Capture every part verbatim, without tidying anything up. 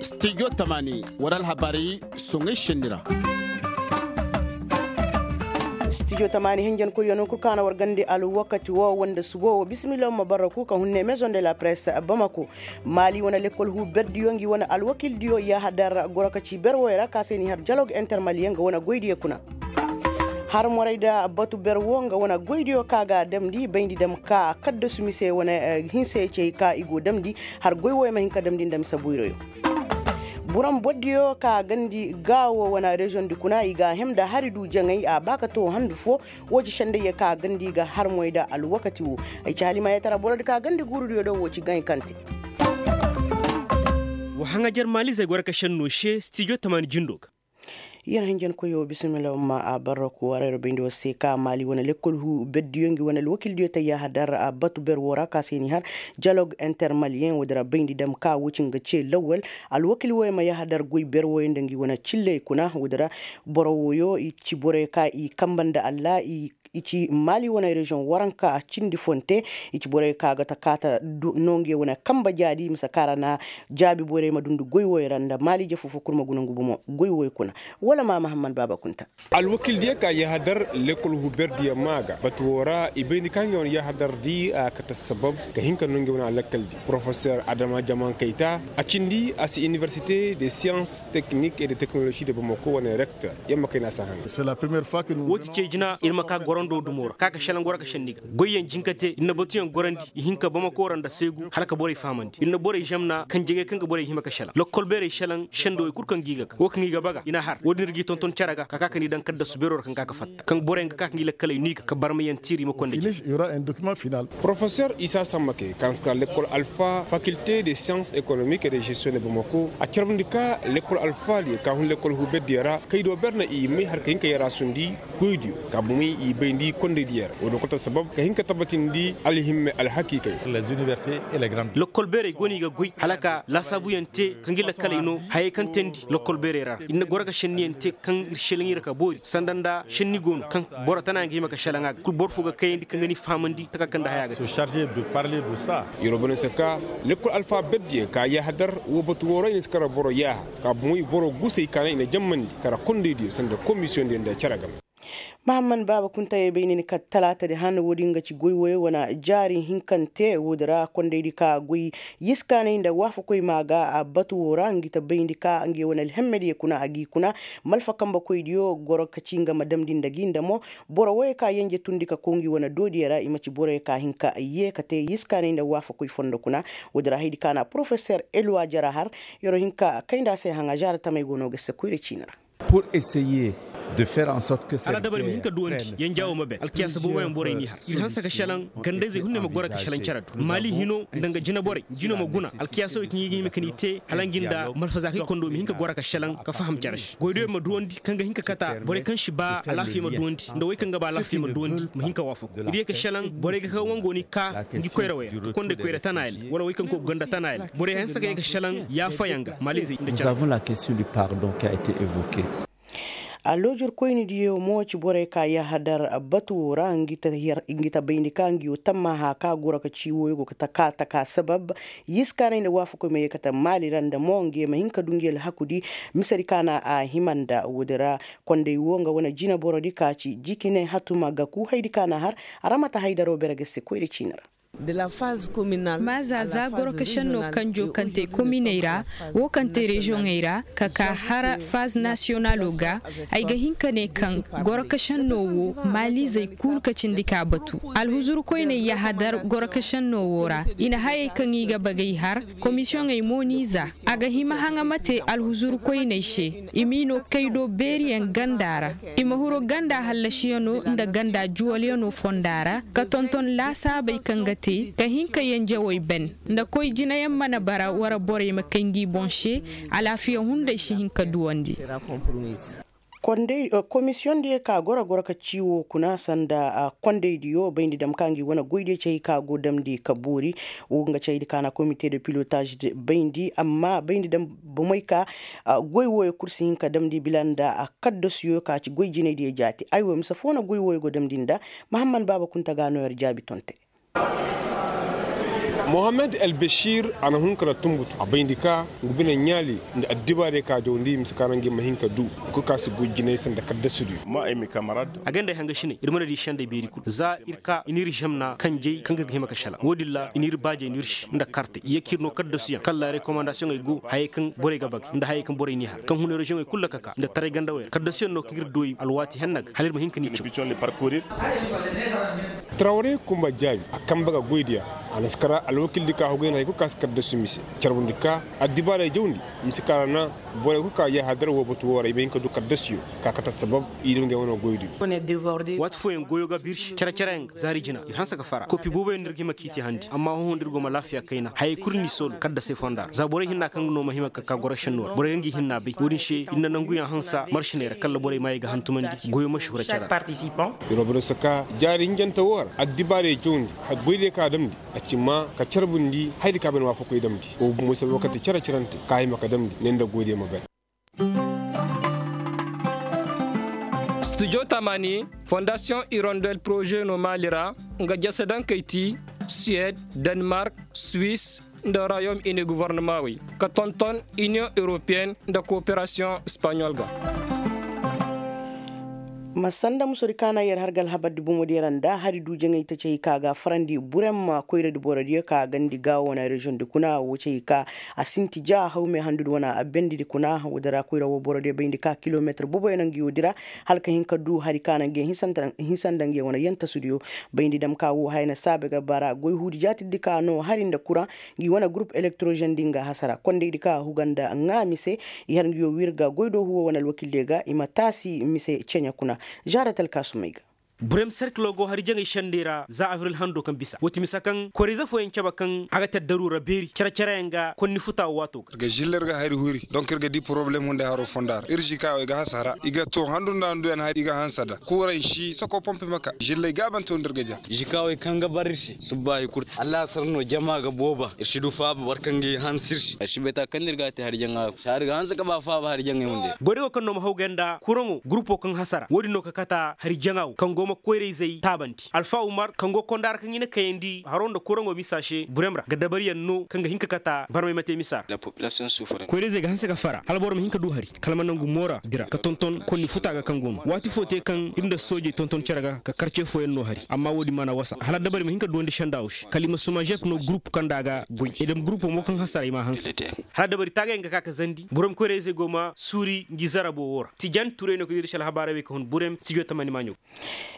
Studio tamaani war alhabaari soŋay šenni ra. Studio tamaani hinjankoyyaŋ no kul kaŋ a na war gandi alwakati wo wanda subo wo bisimilla ma barraku ka hunne maison de la presse bamako. Maali wane lekkol huu berdiyo ngi wane alwakildiyo yahadar goro ka ci ber woy ra ka se ni har jalog intermaliyeŋ ga wane goydiyo kuna. Har moray da batu ber wo nga wane goydiyo ka ga damndi bayndi dam ka kaddasu mise wane hinse cey ka i go damndi. Har goy woy ma hin ka damndi nda mise boyroyo. Buram boddiyo ka gandi gaawo wane reziyoŋ di kuna i ga a hem nda hari du jaŋay a ba ka to handu fo. Wo ci sendayye ka gandi ga har moy nda alwakati wo. Ay ci halimaayetara borodi ka gandi guurudiyo do wo ci gaŋ i kaŋ te. Wa haŋajer maalizey goro ka senno se stijo tamaani jindo ga. Yer hinjankoyo bisimilla ma a barraku warayro bayndi war se ka maali wane lekkol huu berdiyo ngi wane alwakildiyo tayya hadar a batu ber wo ra ka se ni har jalog intermaliyen wo dira bayndi dam ka wo ci nga ce lawwal. Alwakil woyo ma yahadar goy ber woyo nda ngi wane cilley kuna wo dira. Boro woyo i ci borey ka i kamba nda allah i ci maali wane reziyoŋ waranka cindi fonte. I ci borey ka ga ta kaata no nge wane kamba jaadi mise kaŋ ra na jaabi borey ma dundi goy woy ra nda maali jefo fo kul ma guna ngu bomo goy woy kuna. Wala ma mahamman baaba kunta. Alwakildiyo ka yahadar lekkol huberdiyo maa ga batu wo ra i bayndi ka nge wane yahadardi a kate sabab ka hin ka no nge wane alakkaldi porofeser adama jaman kayta a cindi a si inibersite de siyans teknik e de teknolozi de bamako wane rekter. Yamma kayna si a haŋ. Woo ti cey jina ir ma ka gorando dumo ra ka ka šelaŋ goro ka šenni ga goyyaŋ jinka te ir na batuyaŋ gorandi i hin ka bamako ra nda seegu hala ka borey fahamandi ir na borey žemna kaŋ jegey kaŋ ga borey hima ka šelaŋ lokkol beerey šelaŋ šendowey kul kaŋ ga i ga ka woo kaŋ i ga baga i na har woo din ir g'i tonton cere ga ka ka ka ni daŋ kaddasu beero ra kaŋ ga ka ka fatta kaŋ boroyaŋ ga ka ka ngi lakkaley no i ga ka barmayaŋ tiiri ma konda jina. Porofeser isa sammake kaŋ si ka lekkol alfa fakilte de siyans ekonomik e de žestiyoŋ de bamako a carbundi ka lekkol alfa diyo ka hun lekkol huberdiyo ra kay do ber na i may har ka hin ka yaraasundi goydiyo ka bumey i bayndi kondaydiyo ra woo do kul ta sabab ka hin ka tabbatindi alhimme alhakiikay. Lokkol beerey go no i ga goy hala ka laasaabuyaŋ te ka ngi lakkaley no hayey kaŋ teendi lokkol beerey ra ir na goro ka šenniyaŋ te kaŋ ir šelaŋ ir ka boori sanda nda šenni go no kaŋ boro tana yaŋ ga hima ka šelaŋ a ga kul boro fo ga kayandi kaŋ ga ni fahamandi taka kaŋ nda haya ga te. Yeroo bane se ka lekkol alfa berdiyo ka yahadar woo batu woo ra i na si kara boro yaaha ka bomoy boro gusey ka naŋ i na jammandi kara kondaydiyo sanda komisiyoŋdiyo nda cere game. Mahamman baaba kuntayey bay ni ni ka talaatadi han woodin ga ci goy woyey wane jaari hinkante woodi ra kondaydi ka goy yiskaanay nda waafakoy maa ga batu woo ra ngi ta bayndi ka ngi wane alhemmediyo kuna a g'i kuna malfa kambekoydiyo goro ka ci nga ma damndi nda gi nda mo. Boro woyey ka yenje tundi ka kow ngi wane doodiyo ra i ma ci boroyey ka hin ka yee ka te yiskaanay nda waafakoy fondo kuna. Woodi ra haydi ka na porofeser elwa jara har yeroo hin ka kay nda a se haŋa jaara tamey go no ga se koyra ciini ra. Pur eseye de fer en sorte ke se. Hala dabari ma hin ka duwandi yenja wo ma ben alkiyaasa booboyaŋ borey n'i har ir hanse ka šelaŋ gandayzey hunday ma goro ka šelaŋ cere du maali hino nda nga jinaborey jino ma guna alkiyaasawey kaŋ i ga hima ka n'i te hala ngi nda malfazaakey kondo ma hin ka goro ka šelaŋ ka faham cere se goydoyaŋ ma duwandi kaŋ ga hin ka kata borey kaŋ si ba alaafiya ma duwandi nda wey kaŋ ga ba alaafiya ma duwandi ma hin ka waafaku ir ye ka šelaŋ borey ga kaŋ wango n'i ka ngi koyrawey ra ka konday koyra tanaayel wala wey kaŋ koy ga ganda tanaayel borey hanse ka ye ka šelaŋ yaafayaŋ ga maalizey nda cere. Alloojur koynidiyo mo ci borey ka yahadar batu woo ra ngi ta bayndi ka ngi woo tammaha ka goro ka ci wooyo go ka taka taka sabab yiskaanay nda waafakoy ma ye kate maali ra nda mo ngi ye ma hin ka du ngi alhakudi. Misedi ka na a hima nda woodi ra konday woo nga wane jineborodi ka ci jikine hatuma gaku haydi ka na har. Aramata haydaro bere ga se koyra ciini ra. Maaza za goro ka šenno kanjo kaŋ te kominey ra woo kaŋ te reziyoŋey ra ka ka har faz nasiyonalo ga. Ay ga hin ka ne kaŋ goro ka šenno woo maalizey kul ka cindi ka batu alhuzuru koyney yahadar goro ka šenno woo ra i na hayey kaŋ i ga bagay har komisiyoŋey mo n'i za. A ga hima haŋa ma te alhuzuru koyney se i m'i no kay do beeriyaŋ ganda ra i ma huru ganda hallasiyano nda ganda juwalyano fonda ra ka tonton laasaabey kaŋ ga te ka hin ka yenjewey ben nda koy jinayaŋ mana bara wara borey ma kay ngi boŋ se. Alaafiya hunday si hin ka duwandi. Komisiyoŋ diyo ka goro goro ka ci woo kuna sanda kondaydiyo bayndi dam ka ngi wane goydiyo cay ka go damndi ka boori. Woo nga caydi ka na komite de pilotaaz bayndi amma bayndi dam bomey ka goy wooyo kul si hin ka damndi bila nda kaddasuyo ka ci goy jinaydiyo jaati ay woo mise foo na goy wooyo go damndi nda. Mahamman baaba kunta ga no yer jaabi tonte. Mohammed albashir a na hun ka ra tumbutu a bayndi ka ngu bine ɲaali nda addibaarey ka jawndi mise ka ra ngi ma hin ka du. Kul ka si goy jinay sanda kaddasidiyo. Agay nda ay hanga shinay ir mana di sendey beeri kul za ir ka i n'ir zemna kanjey kaŋ ga ir ga hima ka shala wo-din ra i n'ir baajey n'ir se nda kartey i ye ka ir no kaddasuyaŋ kala rekomandasiyoŋey go hayey kaŋ borey ga bagay nda hayey kaŋ borey n'i har kaŋ huna reziyoŋey kul ra ka ka nda taray gandawey ra kaddasuyaŋ no kaŋ ir dooyi alwaati henna ga hala ir ma hin ka n'i caw. Tarawre kumba jaabi a kambe ga goydiya. A na si kara alwakildi ka hugay na hay kul ka si kaddasu mise carbundi ka addibaarey jawndi mise ka ra na borey kul ka yaahadar woo batu woo ra i ma hin ka du kaddasuyo ka kate assabab i dum ga ay wane goydiyo. Waati fooyaŋ goyo ga birsi care-careyaŋ ga zaari jina ir hanse ga fara kopi booboyaŋ no ir ga hima k'i te handi amma hõ-hõ nda ir go ma laafiya kayna hayey kul n'i soolu kaddasey fonda ra za borey hinna kaŋ no ma hima ka ka goro senno ra borey ga ngi hinna bay wo-din se ir na nanguyaŋ hansa marsiney ra kala borey maayey ga hantumandi goyo ma si hura care ra. Robinoo si ka jaari hinjante woo ra addibaarey jawndi goydiyo ka damndi a ci maa ka carbundi hayadi ka bay na waafakoy damndi woo bumo se alwakati care-carante ka hima ka damndi ne nda goydiyo ma bay. Studio tamani fondasiyoŋ irondel poroze no maali ra nga jase daŋ kay ti suwed, denmark, suwis, nda royaume ini govornamaawey ka tonton iniyoŋ europeyen nda kooperasiyoŋ espaɲol ga. Ma sanda musudi kaana yer har ga alhabardi bomodiyo ra nda hari du jaŋay taci hay ka ga a farandi burem koyradi borodiyo ka gandi gaawo wane reziyoŋdi kuna wo ci hay ka a sinti ja haw me handudi wane abendidi kuna woodi ra koyra wo borodiyo bayndi ka kilometir boboyo na ngi woodi ra hala ka hin ka du hari ka na ngi hinsa nda ngi wane yantasudiyo. Bayndi dam ka wo haya na saabe ga bara goy huudi jaatirdi ka no hari nda kuraŋ ngi wane gurup elektrozen di nga hasara kondaydi ka huga nda ŋaami se. I har ngi yo wirga goydoohu wo wane alwakildiyo ga i ma taasi mise ceɲe kuna. Žaarat alkaasumey ga. Burem serkilo go hari jaŋay sendey ra za abril hando kaŋ bisa woo ti mise kaŋ koyra-ize fooyaŋ cabe kaŋ a ga te addaru ra beeri care-careyaŋ ga konni futa wo waato ga ir ga zilla ir ga hari huri donk ir ga di poroblem hunday haro fonda ra ir zikaawey ga hasara i ga to handu nda handuyaŋ hari i ga hanse nda kuuray si sako pompe maka zilley gaabante wo nda ir ga ja. Zikaawey kaŋ ga bar ir se subba hay kul te allaasar no jama ga booba ir si du faaba boro kaŋ ga hanse ir se ir si bay ta kaŋ no ir ga a te hari jaŋa. Saari ga hanse ga ba faaba hari jaŋey hunday. Goydago kaŋ no ma hawgay nda kuraŋo gurupo kaŋ hasara wo-din no ka kata hari jaŋa wo kaŋ go ma koyra-izey taabandi alfa umar kaŋ go konda ra kaŋ i na kayandi haro nda kuraŋo misa se burem ra ga dabariyaŋ no kaŋ ga hin ka kata barmay ma te misa ra. Koyra-izey ga hanse ga fara hala boro ma hin ka du hari kala ma nangu moora dira ka tonton konni futa ga kaŋ go no waati fo te kaŋ ir nda soojey tonton cere ga ka karce fooyaŋ no hari amma wo-din mana wasa hala dabari ma hin ka duwandi sendaawo se kala i ma suma žep no gurup kaŋ nda a ga goy i dam gurupo mo kaŋ hasara i ma a hanse. Hala dabari taagayaŋ ga ka ka zandi boro ma koyra-izey go ma suuri ngi zarabo wo ra tijan turay no ka dira se alhabaarey wey ka hun burem studio tamani maaɲo.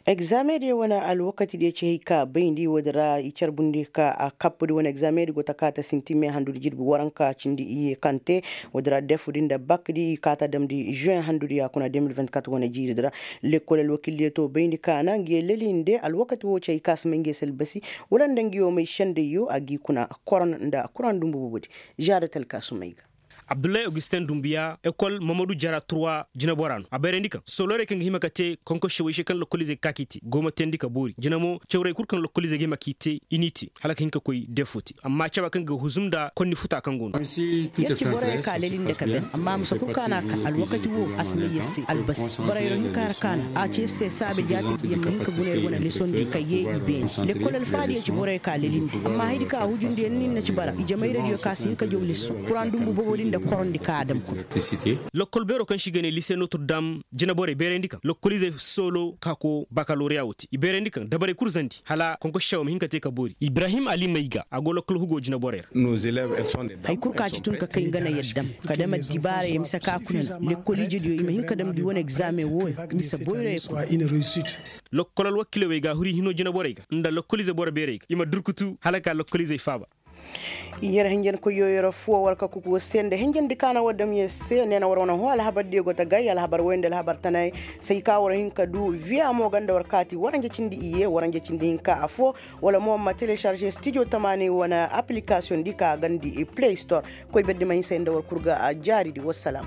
Egzaamediyo wane alwakatidiyo ci hay ka bayndi woodi ra i carbundi ka a kappudi wane egzaamedi go ta kaata sinti me handudi jirbi waranka cindi iyye kaŋ te woodi ra defudi nda bakdi i kaata damndi žuweŋ handudi ya kuna de mil vingt-kat wane jiiridi ra. Lekkol alwakildiyo to bayndi ka na ngi ye lelinde alwakati wo ci hay ka si may ngi ye se albasi wala nda ngi yo may sendayyo a gi kuna koron nda kuraŋ dumbu boobodi. Žaadat alkaasumey ga. Abdullahi augustin dumbuya ekol mamadu jara turwa jinabora no a bayrandi kaŋ sooloorey kaŋ ga hima ka te konkošewey se kaŋ lokoliizey ga ka k'i te go ma teendi ka boori jina mo cawrey kul kaŋ lokoliizey ga hima k'i te i n'i te hala ka hin ka koy defo te amma caba kaŋ ga huzum nda konni futa kaŋ go no. Yer ci borey ka leli nda ka ben amma a ma si kul ka na ka alwakati wo a si may yer se albasi borey ra hinka ra ka na a ci yer se saabe jaati yer ma hin ka guna yer wane lesondi ka ye i beeni lekkol alfaadiyo ci borey ka leli nda amma hayadi ka a hujundi yer nin na ci bara i jamayradiyo ka si hin ka jaw leso kuraŋ dumbu bobo din nda korondi ka a dam kul. Lokkol beero kaŋ se i ga ne lise notre dame jinaborey beerandi kaŋ lokkoliizey soolo ka ko bakaloriya wo te i beerandi kaŋ dabarey kul zandi hala konkosi cawo ma hin ka te ka boori ibrahim ali mayga a go lokkol hugo jinaborey ra. Hay kul ka ci tun ka kay nga na yaddam ka dam addibaarey mise ka kuna no lekkol ijediyo i ma hin ka damndi wane egzaameŋ wooyo mise boyroyey kuna. Lokkol alwakiiley wey ga a huri hino jinaborey ga nda lokkoliize boro beerey ga i ma durkutu hala ka lokkoliizey faaba. Yer hinjankoyyo yer affoo war ka kuku war se nda hinjandi ka na war dam yer se nee na war wane hõ alhabardiyo go ta gay alhabar woy nda alhabar tanay. Say ka war hin ka du viya mo ganda war kaati waranja cindi iyye waranja cindi hinka affoo. Wala mo ma telecharge studio tamaani wane application di ka gandi play store. Koy berdi ma hin say nda war kul ga a jaaridi wassalam.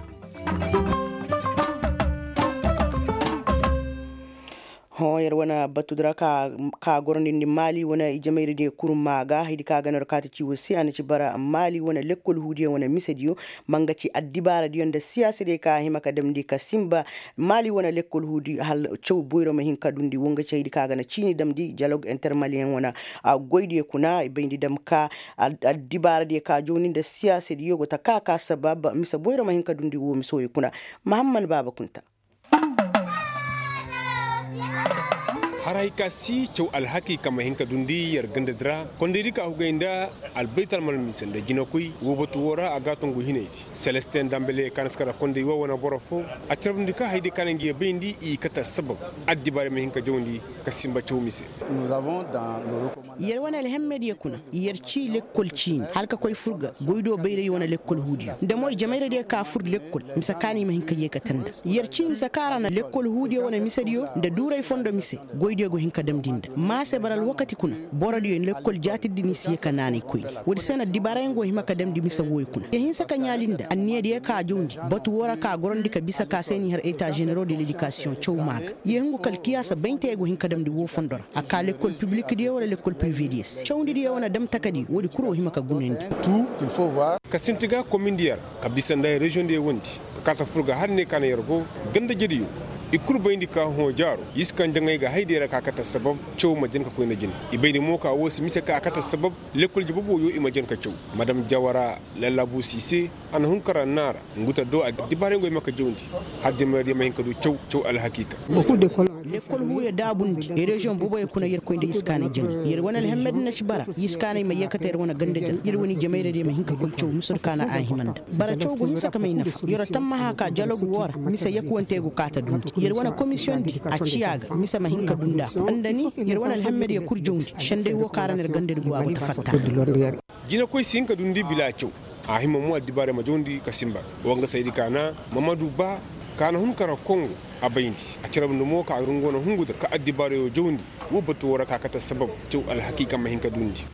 Hõ yer wane batu dira ka gorondindi maali wane ijemayradiyo kurma ga haydi ka ga no yer kaati ciiwo se a na ci bara maali wane lekkol huudiyo wane misediyo, ma nga ci addibaaradiyo nda siyaasadiyo ka a hima ka damndi ka sinba. Maali wane lekkol huudi hal caw boyro ma hin ka dundi wo nga ci haydi ka ga na ciini damndi jalog intermaliyeŋ wane goydiyo kuna i bayndi dam ka addibaaradiyo ka jawndi nda siyaasadiyo go ta ka ka sabab mise boyro ma hin ka dundi wo mise woy kuna. Mahamman baaba kunta. Haray ka si caw alhaki kaŋ ma hin ka dundi yer gandadi ra kondaydi ka hugay nda albaytalmal mise nda jinakoy wo batu wo ra a ga a tongu hinay se. Selestin dambele kaŋ na si kara konday wo wane boro fo a carbundi ka hayday kaŋ na ngi ye bayndi i kate sabab addibaarey ma hin ka jawndi ka sinba caw mise. Yer wane alhemmediyo kuna yer ci lekkol ciini hala ka koy fur ga goydo bayray wane lekkol huudiyo nda mo ijemayradiyo ka fur lekkol mise kaŋ i ma hin ka yeekate nda yer ci mise kaŋ ra na lekkol huudiyo wane misediyo nda duuray fondo mise. Goydiyo go hin ka damndi nda maase bara alwakati kuna borodiyo lekkol jaatirdi ni si ye ka naanay koyne. Woodi se na addibaarayaŋ go hima ka damndi mise wooyo kuna ya hinsa ka ɲaali nda anniyadiyo ka a jawndi batu woo ra ka a gorandi ka bisa ka se n'i har eta ženeroo de ledikasiyoŋ caw maa ga. Ya hungu kala kiyaasa bayntey go hin ka damndi woo fondo ra a kaa lekkol pibilikdiyo wala lekkol pirivediyo se cawndidiyo wane dam takadi woodi kul wo hima ka gunandi. Ka sinti ga komindiyo ra ka bisa nda reziyoŋdiyo wondi ka kaata fur ga har ne ka na yer go gandajediyo. I kul bayndi ka hõ jaaro i si kaŋ jaŋay ga haydiyo ra ka a kate sabab caw ma jan ka koy nda jine. I bayndi mo ka woo si mise ka a kate sabab lekkol je boboyo i ma jan ka caw. Madam jawara lallaabu si se a na hun ka ra naara ngu ta do addibaarey go i ma ka jawndi har jamayadiyo ma hin ka du caw caw alhakiika. Lekkol huuyo daabundi reziyoŋ boboyo kuna yer koy nda iskaanay jine yer wane alhemmedi na ci bara iskaanay ma yeekate yer wane gandadi ra yer wane ijemayradiyo ma hin ka koy caw mise du ka na a hima nda bara caw go hinsa ka may nafa yer tammaha ka jalog woo ra mise yakuwante go kaata dundi yer wane komisiyoŋdi a ciya ga mise ma hin ka dunda nda ni yer wane alhemmediyo kul jawndi senday woo ka ra na yer gandadi go a go ta fatta. Jinakoy si hin ka dundi bila caw a hima mo addibaarey ma jawndi ka sinba. Wa nga saydi ka na mamadu ba ka na hun ka ra kongo a bayndi a carbundi mo ka rungo na hungu da ka addibaarayo jawndi. Woo batu woo ra ka kate sabab caw alhakiika ma hin ka dundi.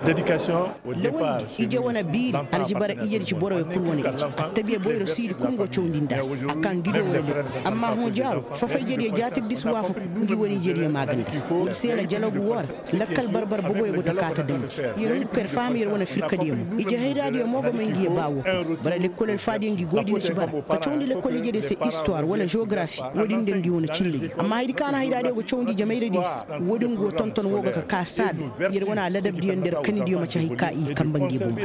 Lawandi ije wane biiri a na ci bara ijedi ci boroyo kul wane ije attabiya boyro siidi kul go cawndi nda a se a kaa ngi do wane boy. Amma hõ jaaro fafayjediyo jaatirdi si waafaku ngi wane ijediyo maaganda se woodi se na jalagu woo ra. Lakkal barbar boboyo go ta kaata damndi. Yer hungu ka yer faham yer wane firkadiyo mo ije hayraadiyo mo go may ngi ye baa woo kul bara lekkol alfaadiyo ngi goydi na ci bara ka cawndi lekkol ijediyo se istuwar wala jeogarafi. Woodin nda ngi wane cindediyo amma haydi ka na hayraadiyo go cawndi ijemayradiyo se. Woodin go tonton woo ga ka kaa saabe yer wane aladabdiyo nda yer kanidiyo maci hay ka i kamba ngi bomo.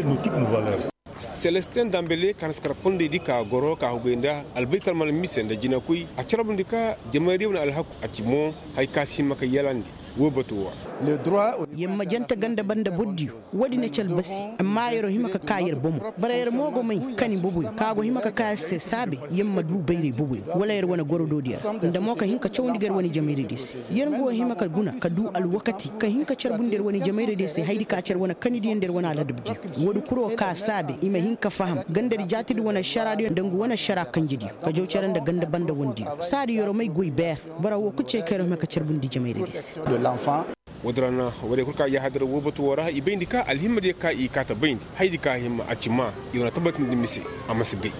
Selestin dambele ka na si kar kondaydi ka goro ka hugay nda albaytalmal mise nda jinakoy a carbundi ka jamaydiyo wane alhaku a ci mo. Hay ka si hima ka yalandi woo batu woo ra. Yer ma jante ganda banda bordiyo woodi na ci albasi. Amma yer'o hima ka kaa yer bomo bara yer mo go may kani boboyo ka go hima ka kaa yer se saabe yer ma duu bayray boboyo wala yer wane gorodoodiyo ra nda mo ka hin ka cawndi ga yer wane ijemayradiyo se. Yer nga wo hima ka guna ka duu alwakati ka hin ka carbundi yer wane ijemayradiyo se haydi ka ci yer wane kanidiyo nda yer wane aladabdiyo. Woodi kul wo kaa saabe i ma hin ka faham gandadi jaatirdi wane ašaraadiyo nda ngu wane ašara kanjediyo ka jaw cere nda ganda banda wandiyo saadi yer'o may goy beer. Boro woo kul cey ka yer hima ka carbundi ijemayradiyo se. Woodi ra na woodiyo kul ka yahadar woo batu woo ra i bayndi ka alhimmadiyo ka i kaata bayndi haydi ka hima a ci maa i wane tabatindi mise. A ma si gay.